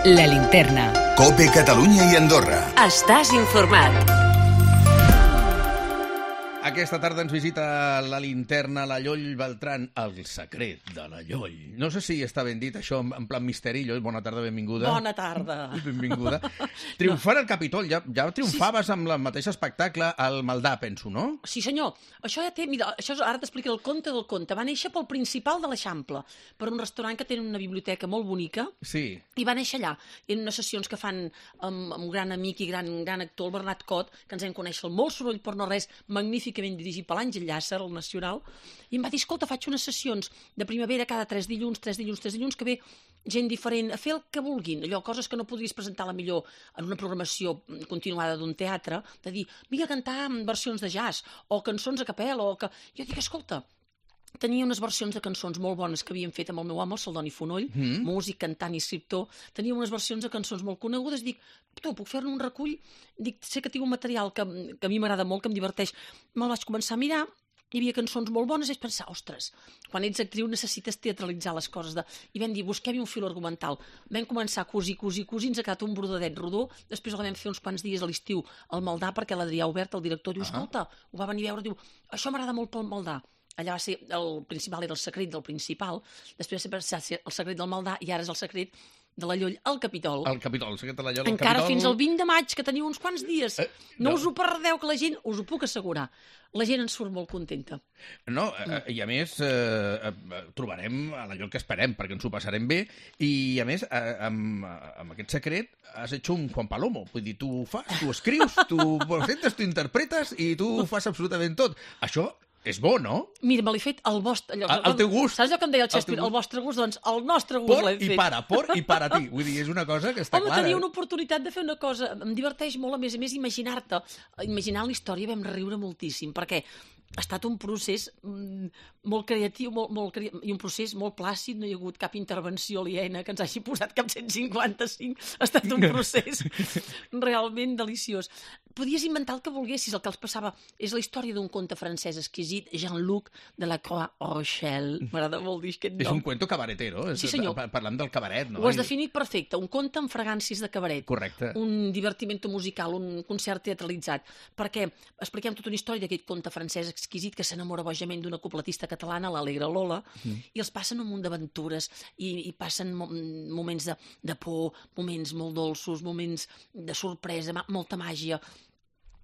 La Linterna. COPE Catalunya i Andorra. Estàs informat. Aquesta tarda ens visita la Linterna, la Lloll Beltrán, el secret de la Lloll. No sé si està ben dit això en plan misteri. Lloll, bona tarda, benvinguda. Bona tarda. Benvinguda. Triomfant al Capitol, ja triomfaves amb el mateix espectacle al Maldà, penso, no? Sí, senyor. Això ja té... Mira, això ara t'explico el conte del conte. Va néixer pel Principal de l'Eixample, per un restaurant que té una biblioteca molt bonica. Sí. I va néixer allà, en unes sessions que fan amb un gran amic i gran actor, el Bernat Cot, que ens vam conèixer el molt soroll per no res, magníficament dirigit per l'Àngel Llàcer, el Nacional, i em va dir, escolta, faig unes sessions de primavera cada 3 dilluns, que ve gent diferent a fer el que vulguin, allò, coses que no podries presentar la millor en una programació continuada d'un teatre, de dir, vinga a cantar versions de jazz, o cançons a capella, o que... Jo dic, escolta, tenia unes versions de cançons molt bones que havíem fet amb el meu home, el Celdoni Fonoll, músic, cantant i escriptor. Tenia unes versions de cançons molt conegudes. Dic, tu, puc fer-ne un recull? Dic, sé que tinc un material que a mi m'agrada molt, que em diverteix. Me'l vaig començar a mirar, hi havia cançons molt bones, i vaig pensar, ostres, quan ets actriu necessites teatralitzar les coses. I vam dir, busquem-hi un fil argumental. Vam començar a cosir, ens ha quedat un brodadet rodó, després el vam fer uns quants dies a l'estiu al Maldà, perquè l'Adrià Obert, el director, diu, escolta, ho va venir a veure, diu, això m'agrada molt pel Maldà. Allà va ser, el Principal era el secret del Principal, després va ser el secret del Maldà i ara és el secret de la Lloll al Capitol. El Capitol, el secret de la Lloll al Encara Capitol. fins al 20 de maig, que teniu uns quants dies. No us ho perdeu, que la gent, us ho puc assegurar, la gent ens surt molt contenta. No, i a més trobarem a la Lloll que esperem, perquè ens ho passarem bé, i a més amb aquest secret has hecho un Juan Palomo, vull dir, tu fas, tu escrius, tu presentes, tu interpretes i tu fas absolutament tot. Això és bo, no? Mira, me l'he fet al vostre... Al teu gust. Saps allò que em deia el Shakespeare? El vostre gust, doncs el nostre gust l'hem fet. Por i para ti. Vull dir, és una cosa que està Home, clara. tenia una oportunitat de fer una cosa. Em diverteix molt, a més imaginar-te. Imaginar la història vam riure moltíssim, perquè ha estat un procés molt creatiu i un procés molt plàcid, no hi ha hagut cap intervenció aliena que ens hagi posat cap 155. Ha estat un procés realment deliciós. Podies inventar el que volguessis, el que els passava. És la història d'un conte francès exquisit, Jean-Luc de la Croix-Rochelle. M'agrada molt dir aquest nom. És un cuento cabaretero. Sí, senyor. Parlant del cabaret, no? Ho has definit perfecte. Un conte amb fragàncies de cabaret. Correcte. Un divertimento musical, un concert teatralitzat. Perquè expliquem tota una història d'aquest conte francès exquisit que s'enamora bojament d'una copletista catalana, l'Alegre Lola, i els passen un munt d'aventures i passen moments de por, moments molt dolços, moments de sorpresa, molta màgia.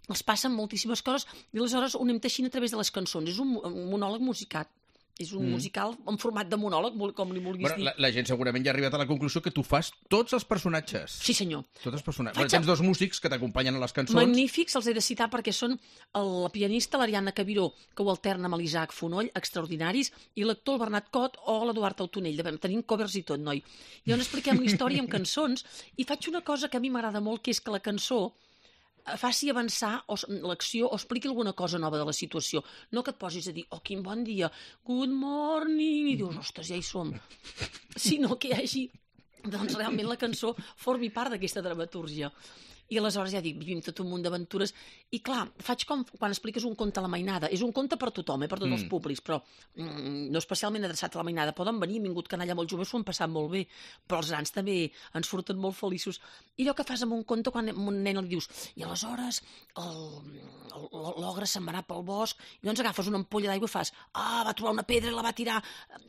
Els passen moltíssimes coses i aleshores ho anem teixint a través de les cançons. És un monòleg musicat. És un musical en format de monòleg, com li vulguis dir. La gent segurament ja ha arribat a la conclusió que tu fas tots els personatges. Sí, senyor. Tots els personatges. Tens dos músics que t'acompanyen a les cançons. Magnífics, els he de citar perquè són la pianista, l'Ariadna Cabiró, que ho alterna amb l'Isaac Fonoll, extraordinaris, i l'actor, el Bernat Cot, o l'Eduard Autonell. Tenim covers i tot, noi. I llavors expliquem la història amb cançons i faig una cosa que a mi m'agrada molt, que és que la cançó faci avançar l'acció o expliqui alguna cosa nova de la situació. No que et posis a dir, oh, quin bon dia, good morning, i dius, ostres, ja hi som. Sinó que hi hagi, doncs realment la cançó formi part d'aquesta dramatúrgia. I aleshores ja dic, vivim tot un munt d'aventures. I clar, faig com quan expliques un conte a la mainada. És un conte per tothom, per tots els públics, però no especialment adreçat a la mainada. Poden venir, han vingut canalla molt joves, s'ho han passat molt bé, però els grans també ens surten molt feliços. I allò que fas amb un conte quan a un nen li dius, i aleshores l'ogre se'n va anar pel bosc, i llavors agafes una ampolla d'aigua i fas, va trobar una pedra i la va tirar.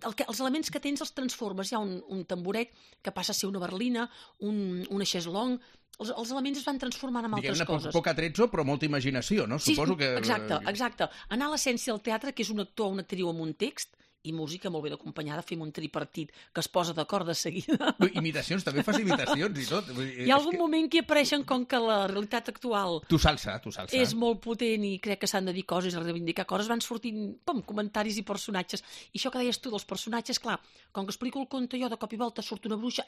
Els elements que tens els transformes. Hi ha un tamboret que passa a ser una berlina, una xeslong. Els elements es van transformant en altres coses. Poc atrezzo, però molta imaginació, no? Sí, Suposo que... exacte. Anar a l'essència del teatre, que és un actor o una actriu amb un text, i música molt ben acompanyada, fem un tripartit que es posa d'acord de seguida. Imitacions, també fas imitacions i tot. Hi ha algun moment que apareixen com que la realitat actual Tu salsa. És molt potent i crec que s'han de dir coses, a reivindicar coses, van sortint comentaris i personatges. I això que deies tu dels personatges, clar, com que explico el conte jo, de cop i volta surt una bruixa,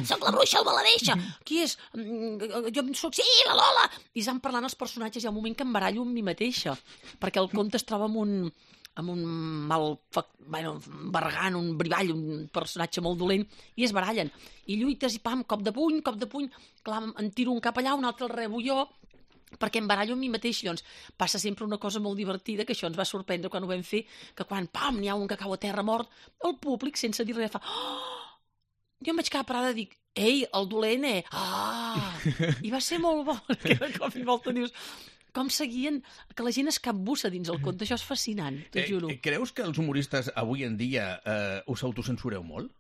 soc la bruixa albaladeixa, qui és? Jo soc, sí, la Lola! I s'han parlant els personatges, hi ha un moment que em barallo amb mi mateixa, perquè el conte es troba amb un bargant, un brivall, un personatge molt dolent, i es barallen. I lluites, i pam, cop de puny, clar, en tiro un cap allà, un altre el rebo jo, perquè em barallo amb mi mateix. Llavors passa sempre una cosa molt divertida, que això ens va sorprendre quan ho vam fer, que quan, pam, n'hi ha un que cau a terra mort, el públic, sense dir res, fa... Jo em vaig quedar parada i dic, Ei, el dolent, I va ser molt bo, que de cop i volta dius... Com seguien, que la gent es capbussa dins el conte, això és fascinant, t'ho juro. Creus que els humoristes avui en dia us autocensureu molt?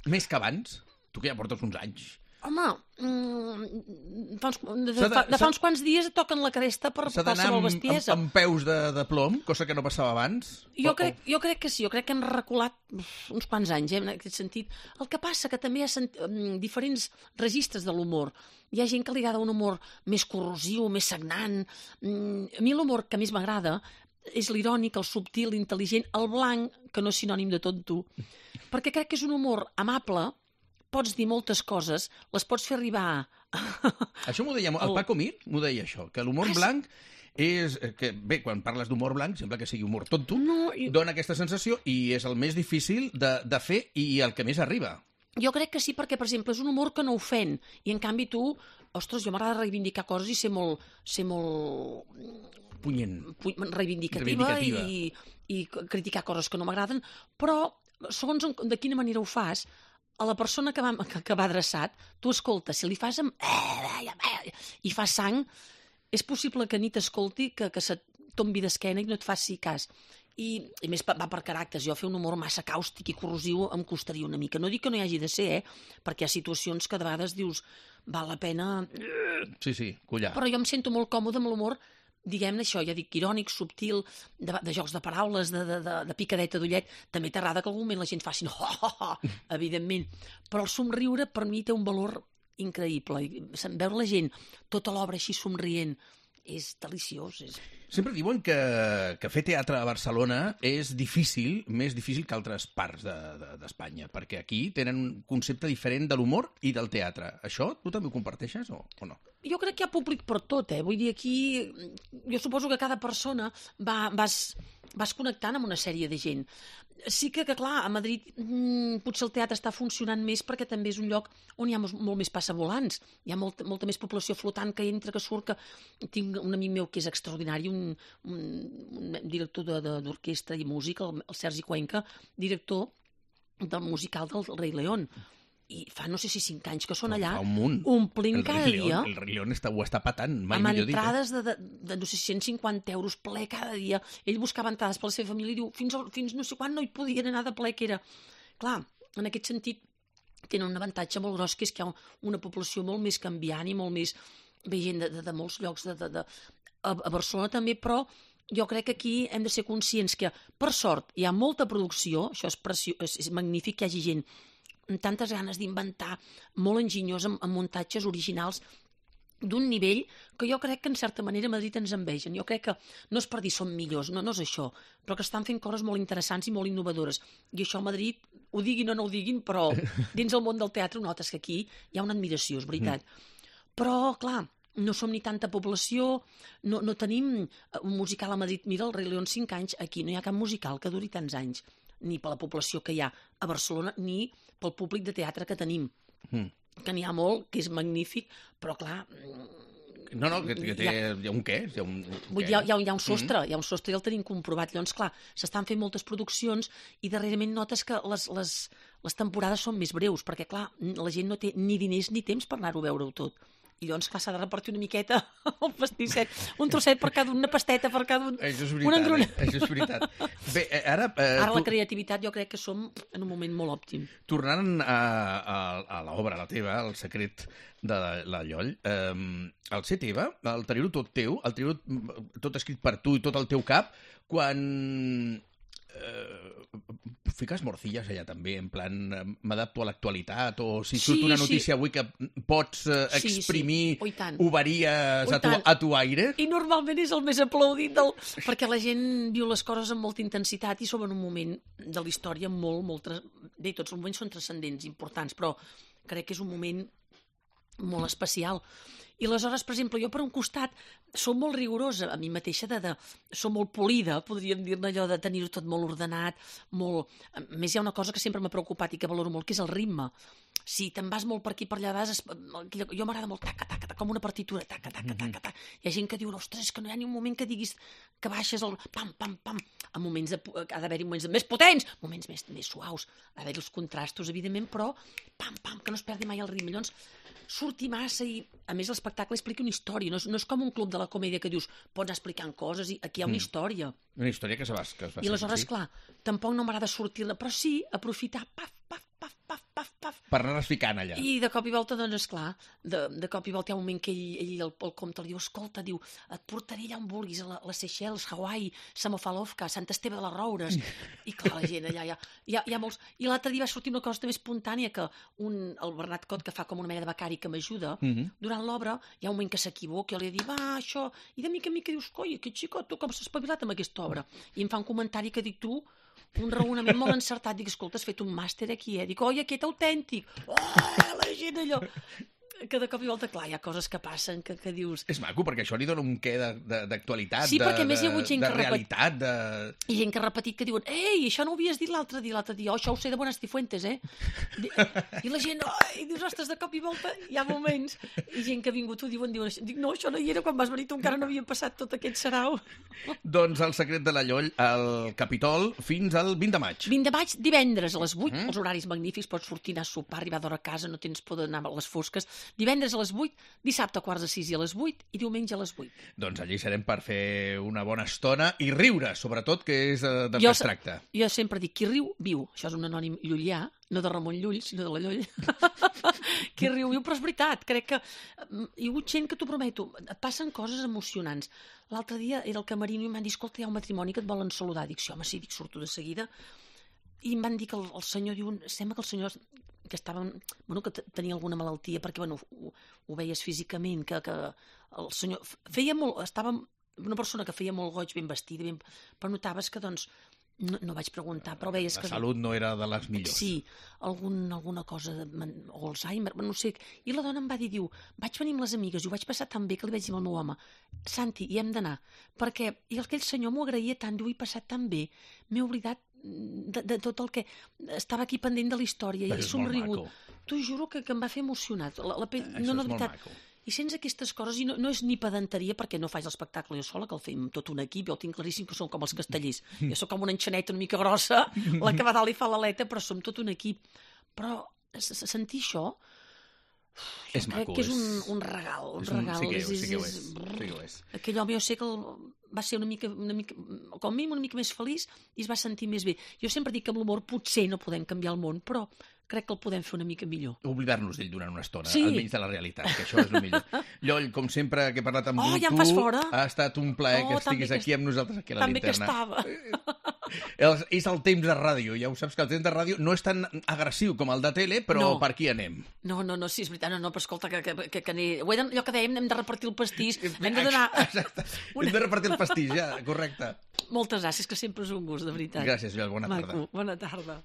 Més que abans? Tu que ja portes uns anys. Home, de fa uns quants dies et toquen la cresta per qualsevol bestiesa. Amb peus de plom, cosa que no passava abans? Jo crec que sí, jo crec que hem reculat uns quants anys, en aquest sentit. El que passa que també hi ha diferents registres de l'humor. Hi ha gent que li agrada un humor més corrosiu, més sagnant. A mi l'humor que més m'agrada és l'irònic, el subtil, l'intel·ligent, el blanc, que no és sinònim de tonto, perquè crec que és un humor amable. Pots dir moltes coses, les pots fer arribar... Això m'ho deia... El Paco Mir m'ho deia això, que l'humor blanc és... Que, bé, quan parles d'humor blanc, sembla que sigui humor tonto, dona aquesta sensació i és el més difícil de fer i el que més arriba. Jo crec que sí, perquè, per exemple, és un humor que no ofèn. I, en canvi, tu... Ostres, jo m'agrada reivindicar coses i ser molt punyent. Reivindicativa. I criticar coses que no m'agraden, però segons de quina manera ho fas... A la persona que va adreçat, tu escoltes, si li fas amb... i fa sang, és possible que ni t'escolti, que se't tombi d'esquena i no et faci cas. I més va per caràcters. Jo fer un humor massa càustic i corrosiu em costaria una mica. No dic que no hi hagi de ser, perquè hi ha situacions que de vegades dius val la pena... Sí, collar. Però jo em sento molt còmode amb l'humor, diguem-ne això, ja dic, irònic, subtil, de jocs de paraules, de picadeta d'ullet. També t'agrada que en algun moment la gent faci evidentment. Però el somriure per mi té un valor increïble. Veure la gent tota l'obra així somrient és deliciós. Sempre diuen que fer teatre a Barcelona és difícil, més difícil que altres parts d'Espanya, perquè aquí tenen un concepte diferent de l'humor i del teatre. Això tu també ho comparteixes o no? Jo crec que hi ha públic per tot, Vull dir, aquí jo suposo que cada persona vas connectant amb una sèrie de gent. Sí que clar, a Madrid potser el teatre està funcionant més perquè també és un lloc on hi ha molt més passavolants. Hi ha molta més població flotant que entra, que surt, que tinc un amic meu que és extraordinari, un director d'orquestra i música, el Sergi Cuenca, director del musical del Rei León. I fa no sé si 5 anys que són allà, omplint cada dia. El Rei León ho està patant, mai millor dit. Amb entrades de no sé, 150 euros ple cada dia. Ell buscava entrades per la seva família i diu, fins no sé quan no hi podien anar de ple que era. Clar, en aquest sentit, tenen un avantatge molt gros, que és que hi ha una població molt més canviant i molt més gent de molts llocs a Barcelona també, però jo crec que aquí hem de ser conscients que, per sort, hi ha molta producció, això és magnífic que hi hagi gent amb tantes ganes d'inventar, molt enginyós, amb muntatges originals d'un nivell que jo crec que en certa manera a Madrid ens envegen. Jo crec que no és per dir som millors, no és això, però que estan fent coses molt interessants i molt innovadores. I això a Madrid, ho diguin o no ho diguin, però dins el món del teatre notes que aquí hi ha una admiració, és veritat. Però, clar, no som ni tanta població, no tenim un musical a Madrid. Mira, el Rei León 5 anys, aquí no hi ha cap musical que duri tants anys, ni per la població que hi ha a Barcelona, ni pel públic de teatre que tenim. Que n'hi ha molt, que és magnífic, però clar... No, que hi ha un què? Hi ha un sostre, i el tenim comprovat. Llavors, clar, s'estan fent moltes produccions i darrerament notes que les temporades són més breus, perquè, clar, la gent no té ni diners ni temps per anar-ho a veure-ho tot. I llavors, clar, s'ha de repartir una miqueta el pastisset, un trosset per cada una pasteta per cada un... Això és veritat, això és veritat. Bé, ara la creativitat jo crec que som en un moment molt òptim. Tornant a l'obra, a la teva, El secret de la Lloll, el ser teva, el tenir-ho tot teu, el tenir-ho tot escrit per tu i tot el teu cap, quan... fiques morcilles allà també, en plan m'adapto a l'actualitat, o si surt una notícia avui que pots exprimir ovaries a tu aire. I normalment és el més aplaudit perquè la gent viu les coses amb molta intensitat i som en un moment de la història molt... Bé, tots els moments són transcendents, importants, però crec que és un moment molt especial. I aleshores, per exemple, jo per un costat som molt rigorosa a mi mateixa, som molt polida, podríem dir-ne allò de tenir-ho tot molt ordenat, molt... A més, hi ha una cosa que sempre m'ha preocupat i que valoro molt, que és el ritme. si te'n vas molt per aquí per allà, jo m'agrada molt taca, taca, taca, com una partitura, taca, taca, taca, taca. Hi ha gent que diu, ostres, és que no hi ha ni un moment que diguis que baixes el pam, pam, pam. En moments ha d'haver-hi moments més potents, moments més suaus, ha d'haver-hi els contrastos, evidentment, però pam, pam, que no es perdi mai el ritme. Llavors, surti massa i, a més, l'espectacle explica una història. No és com un club de la comèdia que dius, pots anar explicant coses i aquí hi ha una història. Una història que es fa I aleshores, clar, tampoc no m'agrada sortir-la, però sí aprofitar, paf, paf, paf, paf, paf, paf. per anar-les ficant allà. I de cop i volta, doncs, esclar, de cop i volta hi ha un moment que ell el comte li diu, escolta, diu, et portaré allà on vulguis, a les Seychelles, Hawaii, Samofalovka, Sant Esteve de les Roures. I clar, la gent allà hi ha molts... I l'altre dia va sortir una cosa també espontània, que el Bernat Cot, que fa com una mena de becari que m'ajuda, durant l'obra hi ha un moment que s'equivoca, jo li dic, va, això... I de mica en mica dius, coi, aquest xicot, tu com s'ha espavilat amb aquesta obra? I em fa un comentari que dic, tu, un raonament molt encertat. Dic, escolta, has fet un màster aquí, eh? Dic, oi, aquest autèntic. Oh, la gent allò... Que de cop i volta, clar, hi ha coses que passen que dius... És maco, perquè això li dona un què d'actualitat, sí, perquè a més hi ha hagut gent de realitat, I gent que ha repetit que diuen, ei, això no ho havies dit l'altre dia, oh, això ho sé de Buenas Cifuentes, eh? I la gent, i dius, ostres, de cop i volta hi ha moments, i gent que ha vingut ho diuen, dic, no, això no hi era, quan vas venir tu encara no havia passat tot aquest sarau. Doncs El secret de la Lloll, al Capitol, fins al 20 de maig. 20 de maig, divendres a les 8, els horaris magnífics, pots sortir, anar a sopar, arribar d'hora a casa, no tens por d'anar a les fosques. Divendres a les 8, dissabte a 5:45 i a les 8 i diumenge a les 8. Doncs allí serem per fer una bona estona i riure, sobretot, que és del que es tracta. Jo sempre dic, qui riu, viu. Això és un anònim llullà, no de Ramon Llull, sinó de la Lloll. Qui riu, viu, però és veritat. Crec que hi ha hagut gent que t'ho prometo, et passen coses emocionants. L'altre dia era el camerino i em van dir, escolta, hi ha un matrimoni que et volen saludar. Dic, sí, home, sí, dic, surto de seguida. I em van dir que el senyor diu, sembla que el senyor que estava, que tenia alguna malaltia, perquè, ho veies físicament, que el senyor feia molt, estava una persona que feia molt goig, ben vestida, però notaves que, doncs, no vaig preguntar, però veies que... La salut no era de les millors. Sí, alguna cosa, o Alzheimer, no sé. I la dona em va dir, diu, vaig venir amb les amigues i ho vaig passar tan bé que li vaig dir al meu home, Santi, hi hem d'anar, perquè aquell senyor m'ho agraïa tant, diu, he passat tan bé, m'he oblidat de tot el que estava aquí pendent de la història i he somrigut. T'ho juro que em va fer emocionat. La pell, no, de veritat. I sents aquestes coses, i no és ni pedanteria, perquè no faig l'espectacle jo sola, que el fem tot un equip, jo el tinc claríssim que som com els castellers. Jo sóc com una enxaneta una mica grossa, la que va dalt i fa l'aleta, però som tot un equip. Però sentir això, és crec maco, que és un regal. Sí que ho és. Aquell home, jo sé que va ser una mica, com a mínim una mica més feliç i es va sentir més bé. Jo sempre dic que amb l'humor potser no podem canviar el món, però crec que el podem fer una mica millor. Oblidar-nos d'ell durant una estona, sí. Almenys de la realitat, que això és el millor. Lloll, com sempre que he parlat amb ja em fas fora. Ha estat un plaer que estiguis aquí amb nosaltres, aquí a la Linterna. També que estava. És el temps de ràdio, ja ho saps que el temps de ràdio no és tan agressiu com el de tele, però per aquí anem. No, sí, és veritat, però escolta, que allò que dèiem, hem de repartir el pastís, hem de donar... Exacte, hem de repartir el pastís, ja, correcte. Moltes gràcies, que sempre és un gust, de veritat. Gràcies, Lloll, bona tarda. Bona tarda.